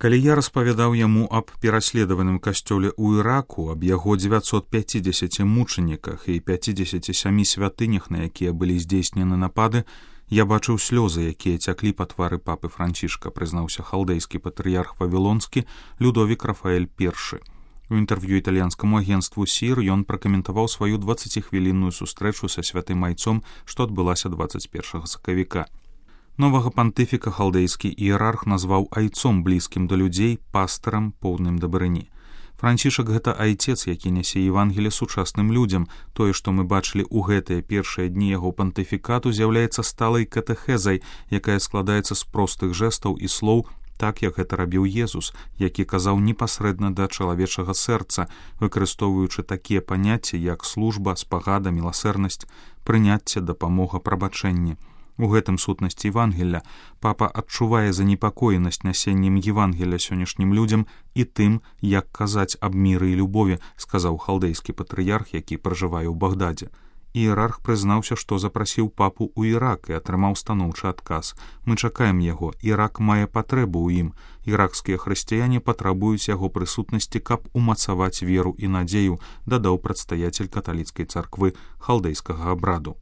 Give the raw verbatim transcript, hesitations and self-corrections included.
Калі я распавядаў яму аб пераследаваным касцёле ў Іраку, аб яго дзевяцьсот пяцідзесяці мучаніках і пяцідзесяці сямі святынях, на якія былі здзейснены напады, я бачыў слёзы, якія цяклі па твары папы Францішка, прызнаўся халдэйскі патрыярх Вавілонскі Людовік Рафаэль першы. У інтэрв'ю італьянскаму агенцтву СІР ён пракаментаваў сваю дваццаціхвілінную сустрэчу са святым айцом, што адбылася дваццаць першага сакавіка. Новага пантыфіка халдэйскі іерарх назваў айцом блізкім да людзей, пастарам, поўным дабрыні. Францішак — гэта айцец, які нясе Евангелле сучасным людзям. Тое, што мы бачылі ў гэтыя першыя дні яго пантыфікату, з'яўляецца сталай катэхезай, якая складаецца з простых жэстаў і слоў, так як гэта рабіў Езус, які казаў непасрэдна да чалавечага сэрца, выкарыстоўваючы такія паняцці, як служба, спагада, міласэрнасць, прыняцце, дапамога, прабачэнне. У гэтым сутнасці Евангелля. Папа адчувае занепакоенасць нясеннем Евангелля сённяшнім людзям і тым, як казаць аб міры і любові, сказаў халдэйскі патрыярх, які пражывае ў Багдадзе. Іерарх прызнаўся, што запрасіў папу ў Ірак і атрымаў станоўчы адказ. Мы чакаем яго. Ірак мае патрэбу ў ім. Іракскія хрысціяне патрабуюць яго прысутнасці, каб умацаваць веру і надзею, дадаў прадстаяцель каталіцкай царквы халдэйскага абраду.